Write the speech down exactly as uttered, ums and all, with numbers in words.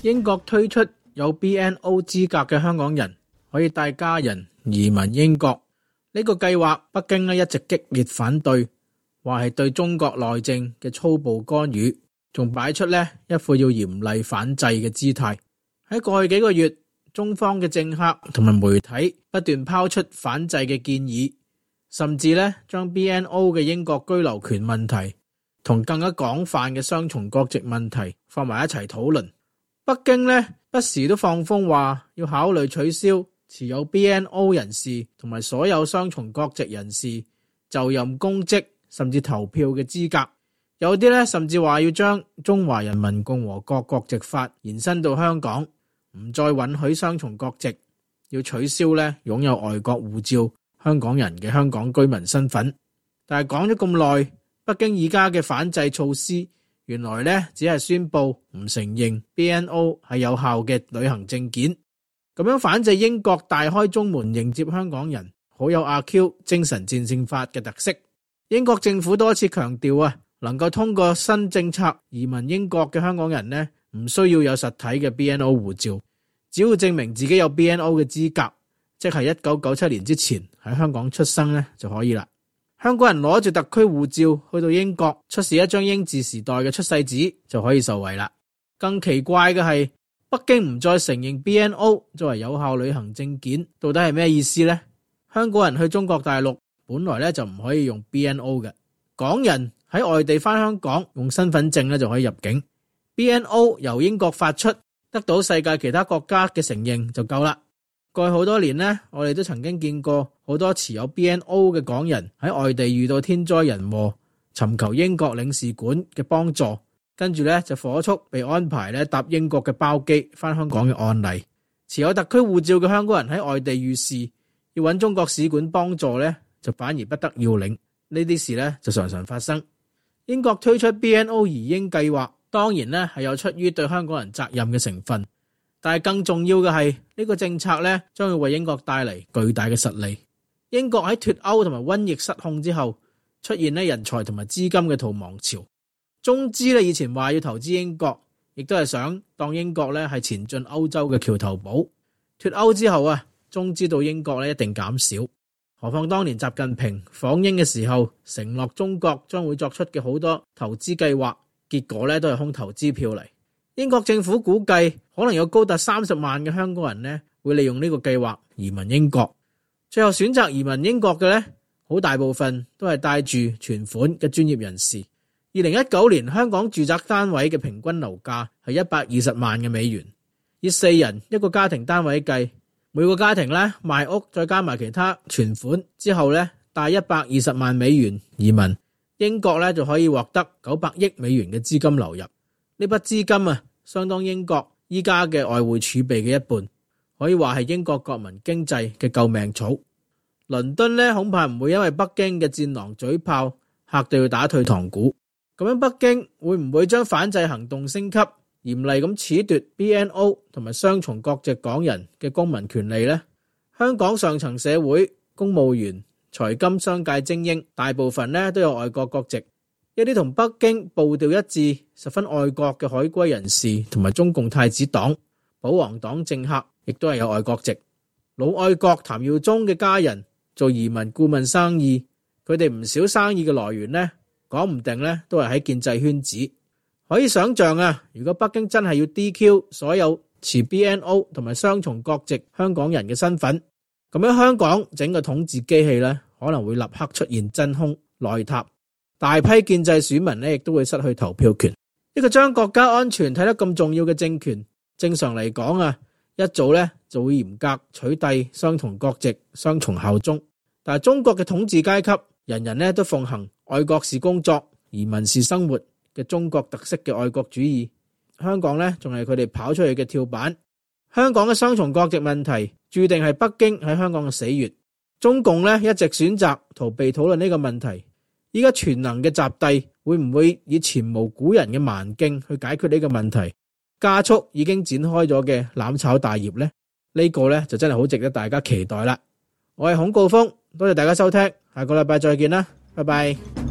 英國推出有 B N O 資格嘅香港人可以帶家人移民英國。呢個計劃北京咧一直激烈反對，話係對中國內政嘅粗暴干預，仲擺出咧一副要嚴厲反制嘅姿態。喺過去幾個月，中方嘅政客同埋媒體不斷拋出反制嘅建議，甚至咧將 B N O 嘅英國居留權問題同更加廣泛嘅雙重國籍問題放埋一齊討論。北京咧不時都放風話要考慮取消持有 B N O 人士同埋所有雙重國籍人士就任公職甚至投票嘅資格。有啲咧甚至話要將中華人民共和國國籍法延伸到香港，唔再允許雙重國籍，要取消咧擁有外國護照香港人嘅香港居民身份。但係講咗咁耐，北京而家嘅反制措施原來咧只係宣布唔承認 B N O 係有效嘅旅行證件，咁樣反制英國大開中門迎接香港人，好有阿 Q 精神戰勝法嘅特色。英國政府多次強調啊，能夠通過新政策移民英國嘅香港人呢，唔需要有實體嘅 B N O 護照，只要證明自己有 B N O 嘅資格，即係一九九七年之前喺香港出生呢就可以啦。香港人攞住特區護照去到英國，出示一張英治時代嘅出世紙就可以受惠啦。更奇怪嘅係，北京唔再承認 B N O 作為有效旅行證件，到底係咩意思呢？香港人去中國大陸本來咧就唔可以用 B N O 嘅，港人喺外地返香港用身份證咧就可以入境。B N O 由英國發出，得到世界其他國家嘅承認就夠啦。過去好多年呢，我哋都曾經見過好多持有 B N O 嘅港人喺外地遇到天災人禍，尋求英國領事館嘅幫助，跟住咧就火速被安排咧搭英國嘅包機返香港嘅案例。持有特區護照嘅香港人喺外地遇事，要揾中國使館幫助咧，就反而不得要領。呢啲事咧就常常發生。英國推出 B N O 移英計劃，當然咧係有出於對香港人責任嘅成分。但係更重要嘅係呢個政策咧，將會為英國帶嚟巨大嘅實利。英國喺脫歐同埋瘟疫失控之後，出現咧人才同埋資金嘅逃亡潮。中資咧以前話要投資英國，亦都係想當英國咧係前進歐洲嘅橋頭堡。脫歐之後啊，中資到英國咧一定減少。何況當年習近平訪英嘅時候，承諾中國將會作出嘅好多投資計劃，結果咧都係空頭支票嚟。英國政府估計可能有高達三十萬嘅香港人呢會利用呢個計劃移民英國。最後選擇移民英國嘅呢，好大部分都係帶住存款嘅專業人士。二零一九年香港住宅單位嘅平均樓價係一百二十萬嘅美元，以四人一個家庭單位計，每個家庭呢賣屋再加埋其他存款之後呢，帶一百二十萬美元移民英國呢，就可以獲得九百億美元嘅資金流入。呢筆資金啊，相當英國依家嘅外匯儲備嘅一半，可以話係英國國民經濟嘅救命草。倫敦呢，恐怕唔會因為北京嘅戰狼嘴炮嚇到要打退堂鼓。咁樣北京會唔會將反制行動升級，嚴厲咁褫奪 B N O 同埋雙重國籍港人嘅公民權利呢？香港上層社會、公務員、財金商界精英，大部分呢都有外國國籍。一啲同北京步調一致、十分愛國嘅海歸人士同埋中共太子黨、保皇黨政客，亦都係有外國籍。老愛國譚耀宗嘅家人做移民顧問生意，佢哋唔少生意嘅來源呢，講唔定呢都係喺建制圈子。可以想象啊，如果北京真係要 D Q 所有持 B N O 同埋雙重國籍香港人嘅身份，咁樣香港整個統治機器呢，可能會立刻出現真空內塌。大批建制選民呢，亦都會失去投票權。一個將國家安全睇得咁重要嘅政權，正常嚟講啊，一早呢就會嚴格取締雙重國籍、雙重效忠。但係中國嘅統治階級，人人呢都奉行愛國是工作、移民是生活嘅中國特色嘅愛國主義。香港呢，仲係佢哋跑出去嘅跳板。香港嘅雙重國籍問題，注定係北京喺香港嘅死穴。中共呢，一直選擇逃避討論呢個問題。依家全能嘅習帝會唔會以前無古人嘅蠻勁去解決呢個問題，加速已經展開咗嘅攬炒大業呢？呢個呢就真係好值得大家期待啦。我係孔誥烽，多謝大家收聽，下個禮拜再見啦，拜拜。